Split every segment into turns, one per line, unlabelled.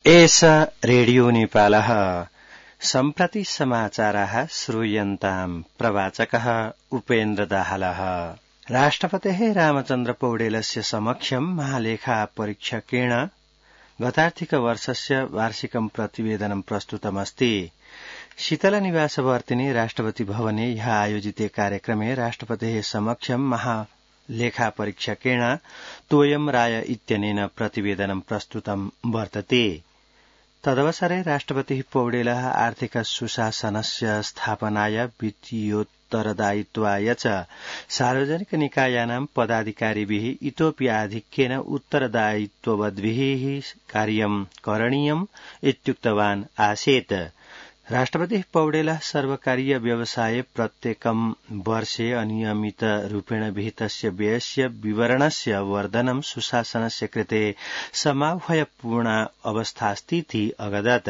एष रेडियो नेपालः सम्प्रति समाचाराः श्रूयन्ताम् प्रवाचकः उपेन्द्र दाहालः। राष्ट्रपतेः रामचन्द्र पौडेलस्य समक्षम् महालेखा परीक्षकेण गतार्थिकवर्षस्य वार्षिकं प्रतिवेदनं प्रस्तुतमस्ति। शीतलनिवासवर्तिनि राष्ट्रपति भवने ह्यः आयोजिते कार्यक्रमे राष्ट्रपतेः समक्षम् महालेखा परीक्षकेण तोयम राय इत्यनेन प्रतिवेदनं प्रस्तुतं वर्तते। तदवसरे राष्ट्रपतिः पौडेलः आर्थिक सुशासनस्य स्थापनाय वित्तीयोत्तरदायित्वाय च सार्वजनिक निकायानां पदाधिकारिभिः इतोऽपि आधिक्येन उत्तरदायित्ववद्भिः कार्यं करणीयम् इत्युक्तवान् आसीत्। राष्ट्रपतिः पौडेलः सर्वकारीय व्यवसाये प्रत्येकं वर्षे अनियमितरूपेण विहितस्य व्ययस्य विवरणस्य वर्धनं सुशासनस्य कृते समाह्वयपूर्णा अवस्थास्तीति अगदत्।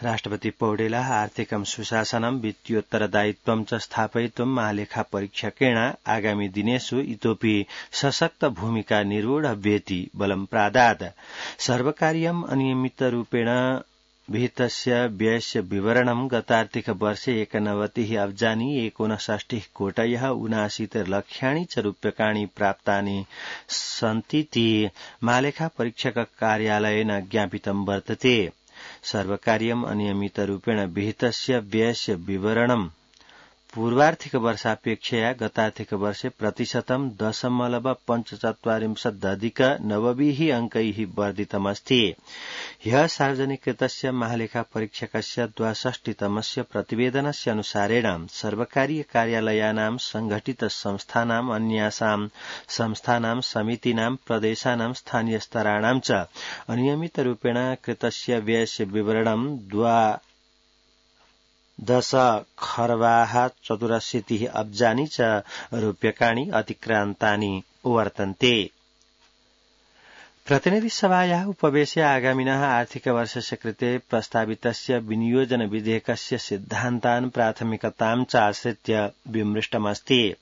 राष्ट्रपति पौडेलः आर्थिकं सुशासनं वित्तीयोत्तरदायित्वं च स्थापयितुं महालेखा परीक्षकेण आगामि दिनेषु इतोपि सशक्त भूमिका निर्वोढव्येति बलं प्रादात्। सर्वकारीयम् अनियमितरूपेण विहितस्य व्ययस्य विवरणं गतार्थिक वर्षे 91 अब्जानि 59 कोटयः 79 लक्षाणि च रूप्यकाणि प्राप्तानि सन्तीति महालेखा परीक्षक कार्यालयेन ज्ञापितं वर्तते। सर्वकारीयम् अनियमितरूपेण विहितस्य व्ययस्य विवरणं पूर्वार्थिक वर्षापेक्षया गतार्थिक वर्षे प्रतिशतं 0.45 अंकैः वर्धितमस्ति। ह्यः सार्वजनिकृतस्य महालेखा परीक्षकस्य 62तमस्य प्रतिवेदनस्य अनुसारेण सर्वकारीय कार्यालयानां संघटित संस्थानाम् अन्यासां संस्थानां समितीनां प्रदेशानां स्थानीयस्तराणां च अनियमितरूपेण कृतस्य व्ययस्य विवरणं 10,84 अब्जानि च रूप्यकाणि अतिक्रान्तानि वर्तन्ते। प्रतिनिधिसभायाः उपवेशे आगामिनः आर्थिकवर्षस्य कृते प्रस्तावितस्य विनियोजन विधेयकस्य सिद्धान्तान् प्राथमिकतां च आश्रित्य विमृष्टमस्ति।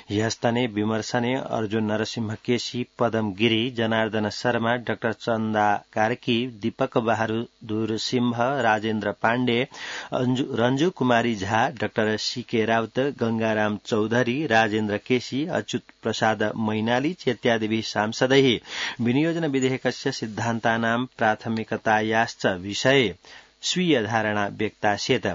ह्यस्तने विमर्शने अर्जुन नरसिंहकेशी, पदम गिरी, जनार्दन शर्मा, डॉ चंदा कार्की, दीपक बहादुर सिंह, राजेन्द्र पाण्डे, रंजू कुमारी झा, डॉ सीके राउत, गंगाराम चौधरी, राजेन्द्र केशी, अच्युत प्रसाद मैनाली इत्यादिभिः सांसदैः विनियोजन विधेयकस्य सिद्धान्तानां प्राथमिकतायाश्च विषये स्वीय धारणा व्यक्तास्येत्।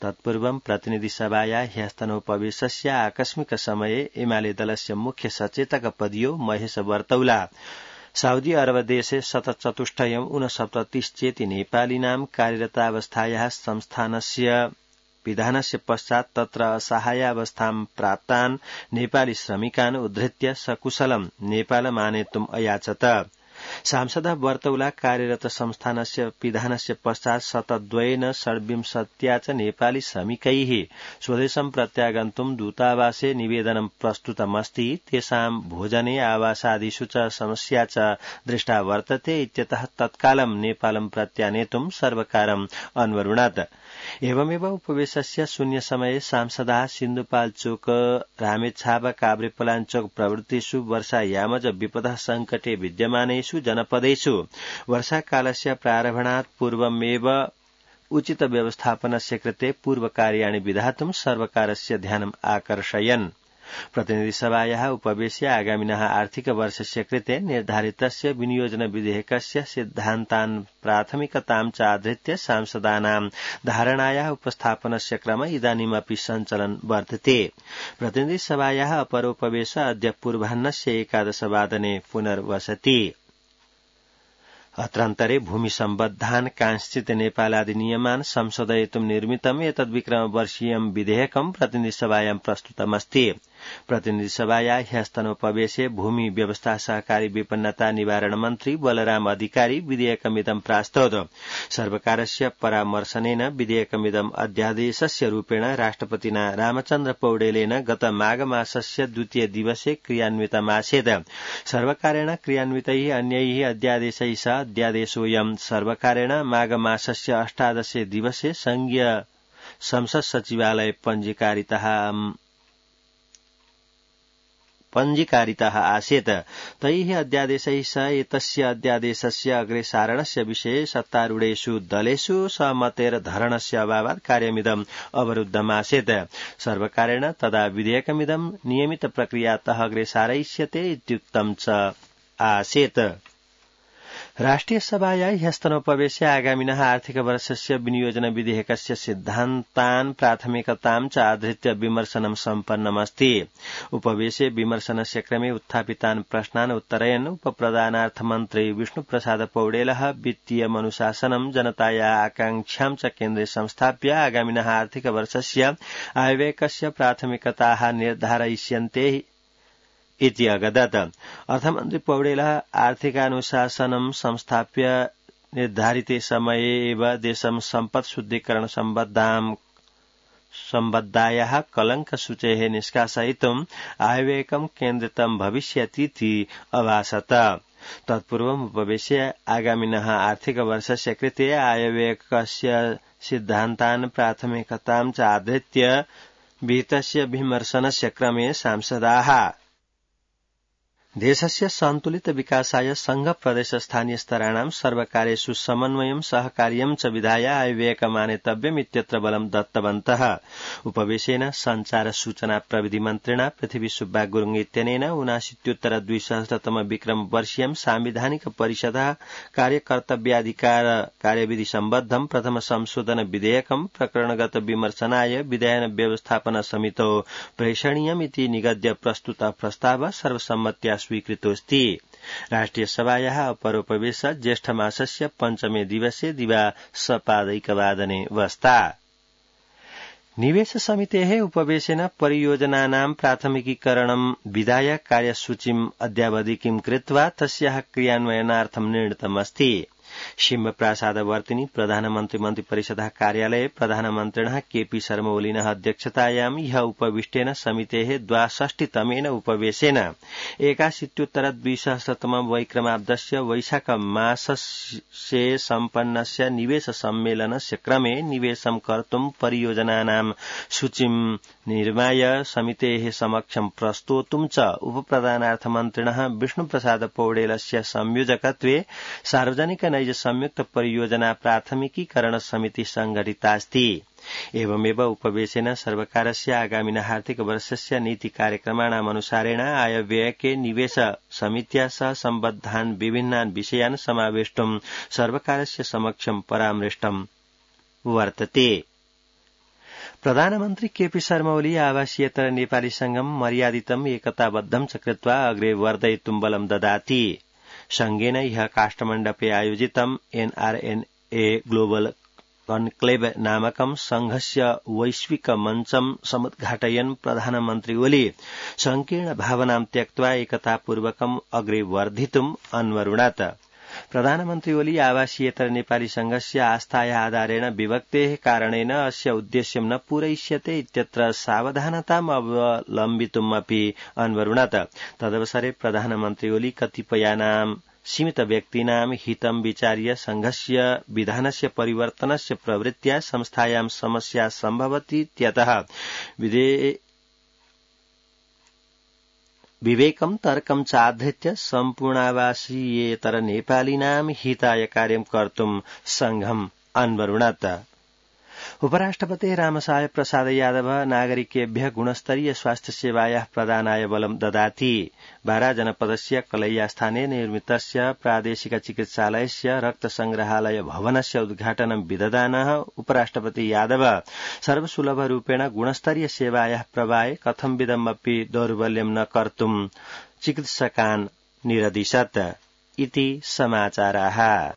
तत्पूर्वं प्रतिनिधिसभाया ह्यस्तनोपवेशस्य आकस्मिक समये एमाले दलस्य मुख्य सचेतक पदीयो महेश वर्तौला साउदी अरबदेशे 64 चेति नेपालिनां कार्यरतावस्थायाः संस्थानस्य विधानस्य पश्चात् तत्र असहायावस्थां प्राप्तान् नेपाली श्रमिकान् उद्धृत्य सकुशलं नेपालम् आनेतुम् अयाचत। सांसदः वर्तौला कार्यरत संस्थानस्य विधानस्य पश्चात् शतद्वयेन 26 च नेपाली श्रमिकैः स्वदेशं प्रत्यागन्तुं दूतावासे निवेदनं प्रस्तुतमस्ति। तेषां भोजने आवासादिषु च समस्या च दृष्टा वर्तते इत्यतः तत्कालं नेपालं प्रत्यानेतुं सर्वकारम् अन्वरुणत्। एवमेव उपवेशस्य शून्यसमये सांसदाः सिन्धुपाल्चोक, रामेछाप, काभ्रेपलाञ्चोक प्रभृतिषु वर्षायामज विपदः सङ्कटे विद्यमानेषु जनपदेषु वर्षाकालस्य प्रारम्भात् पूर्वमेव उचित व्यवस्थापनस्य कृते पूर्वकार्याणि विधातुं सर्वकारस्य ध्यानम् आकर्षयन्। प्रतिनिधिसभायाः उपवेशे आगामिनः आर्थिकवर्षस्य कृते निर्धारितस्य विनियोजन विधेयकस्य सिद्धान्तान् प्राथमिकतां च आधृत्य सांसदानां धारणायाः उपस्थापनस्य क्रम इदानीमपि सञ्चलन् वर्तते। प्रतिनिधिसभायाः अपरोपवेश अद्य पूर्वाह्नस्य 11 वादने पुनर्वसति। अत्रान्तरे भूमिसम्बद्धान् कांश्चित् नेपालादिनियमान् संशोधयितुं निर्मितम् एतद्विक्रमवर्षीयं विधेयकं प्रतिनिधिसभायां प्रस्तुतमस्ति। प्रतिनिधिसभाया ह्यस्तनोपवेशे भूमि व्यवस्था सहकारी विपन्नता निवारण मन्त्री बलराम अधिकारी विधेयकमिदं प्रास्तौत। सर्वकारस्य परामर्शनेन विधेयकमिदं अध्यादेशस्य रूपेण राष्ट्रपतिना रामचन्द्र पौडेलेन गत माघमासस्य 2 दिवसे क्रियान्वितमासीत्। सर्वकारेण क्रियान्वितैः अन्यैः अध्यादेशैः सह अध्यादेशोऽयं सर्वकारेण माघमासस्य 18 दिवसे संघीय संसद सचिवालये पञ्जीकारितः पञ्जीकारितः आसीत्। तैः अध्यादेशैः स एतस्य अध्यादेशस्य अग्रेसारणस्य विषये सत्तारूढेषु दलेषु सहमतेर्धरणस्य अभावात् कार्यमिदम् अवरुद्धमासीत्। सर्वकारेण तदा विधेयकमिदं नियमित प्रक्रियातः अग्रेसारयिष्यते इत्युक्तं च आसीत्। राष्ट्रिय सभाया ह्यस्तनोपवेश्य आगामिनः आर्थिकवर्षस्य विनियोजन विधेयकस्य सिद्धान्तान् प्राथमिकतां च आधृत्य विमर्शनं सम्पन्नमस्ति। उपवेशे विमर्शनस्य क्रमे उत्थापितान् प्रश्नान् उत्तरयन् उपप्रधानार्थमन्त्री विष्णुप्रसाद पौडेलः वित्तीयमनुशासनं जनताया आकांक्षां च केन्द्रे संस्थाप्य आगामिनः आर्थिकवर्षस्य आयव्ययस्य प्राथमिकताः निर्धारयिष्यन्ते इति अगदत्। अर्थमन्त्री पौडेलः आर्थिकानुशासनं संस्थाप्य निर्धारिते समये एव देशं सम्पत् शुद्धीकरण सम्बद्धायाः कलङ्कसूचेः निष्कासयितुम् आयव्ययकं केन्द्रितं भविष्यतीति अभासत। तत्पूर्वम् उपवेश्य आगामिनः आर्थिकवर्षस्य कृते आयव्ययकस्य सिद्धान्तान् प्राथमिकतां च आधृत्य विहितस्य विमर्शनस्य क्रमे सांसदाः देशस्य सन्तुलित विकासाय संघ प्रदेश स्थानीय स्तराणां सर्वकारेषु समन्वयं सहकार्यं च विधाय आयव्ययकमानेतव्यम् इत्यत्र बलं दत्तवन्तः। उपवेशेन संचार सूचना प्रविधि मन्त्रिणा पृथ्वी सुब्बा गुरुङ इत्यनेन 79-2000 विक्रम वर्षीयं सांविधानिक परिषदः कार्यकर्तव्याधिकार कार्यविधि सम्बद्धं प्रथम संशोधन विधेयकं प्रकरणगत विमर्शनाय विधायन व्यवस्थापन समितौ प्रेषणीयमिति निगद्य प्रस्तुत प्रस्ताव सर्वसम्मत्या स्वीकृतोऽस्ति। राष्ट्रिय सभायाः अपरोपवेश ज्येष्ठमासस्य पञ्चमे दिवसे दिवासपादैकवादने वस्ता। निवेश समितेः उपवेशेन परियोजनानां प्राथमिकीकरणं विधाय कार्यसूचीम् अद्यावधिकीं कृत्वा तस्याः क्रियान्वयनार्थं निर्णीतमस्ति। शिम्बप्रासादवर्तिनि प्रधानमन्त्री मन्त्रिपरिषदः कार्यालये प्रधानमन्त्रिणः केपी शर्मा ओलीनः अध्यक्षतायां ह्यः उपविष्टेन समितेः 62तमेन उपवेशेन 81-2000 वैक्रमाब्दस्य वैशाख मासस्य सम्पन्नस्य निवेश सम्मेलनस्य क्रमे निवेशं कर्तुं परियोजनानां सूचीं निर्माय समितेः समक्षं प्रस्तोतुं च उपप्रधानार्थमन्त्रिणः विष्णुप्रसाद पौडेलस्य संयोजकत्वे सार्वजनिक नैज संयुक्त परियोजना प्राथमिकीकरण समिति संघटितास्ति। एवमेव उपवेशेन सर्वकारस्य आगामिनः आर्थिकवर्षस्य नीति कार्यक्रमाणाम् अनुसारेण आयव्ययके निवेश समित्या सह सम्बद्धान् विभिन्नान् विषयान् समावेष्टुं सर्वकारस्य समक्षं परामृष्टं वर्तते। प्रधानमन्त्री केपी शर्मा ओली आवासीयतर नेपाली संघं मर्यादितम् एकताबद्धं च कृत्वा अग्रे वर्धयितुं बलं ददाति। संघेन ह्यः काष्ठमण्डपे आयोजितम् NRNA ग्लोबल कन्क्लेव नामकं संघस्य वैश्विक मञ्चं समुद्घाटयन् प्रधानमन्त्री ओली संकीर्ण भावनां त्यक्त्वा एकतापूर्वकम् अग्रे वर्धितुम् अन्वरुणत। प्रधानमन्त्री ओली आवासीयतर नेपाली संघस्य आस्थाया आधारेण विभक्तेः कारणेन अस्य उद्देश्यं न पूरयिष्यते इत्यत्र सावधानताम् अवलम्बितुम् अपि अन्वरुणत। तदवसरे प्रधानमन्त्री ओली कतिपयानां सीमित व्यक्तीनां हितं विचार्य संघस्य विधानस्य परिवर्तनस्य प्रवृत्त्या संस्थायां समस्या सम्भवतीत्यतः विवेकं तर्कं चाधृत्य सम्पूर्णावासीयेतर नेपालीनां हिताय कार्यं कर्तुं संघम् अन्वरुणत। उपराष्ट्रपतिः रामसाय प्रसाद यादव नागरिकेभ्यः गुणस्तरीय स्वास्थ्य सेवायाः प्रदानाय बलं ददाति। बारा जनपदस्य कलैयास्थाने निर्मितस्य प्रादेशिक चिकित्सालयस्य रक्तसंग्रहालय भवनस्य उद्घाटनं विदधानः उपराष्ट्रपति यादव सर्वसुलभरूपेण गुणस्तरीय सेवायाः प्रवाहे कथंविधमपि दौर्बल्यं न कर्तुं चिकित्सकान् निरदिशत् इति समाचाराः।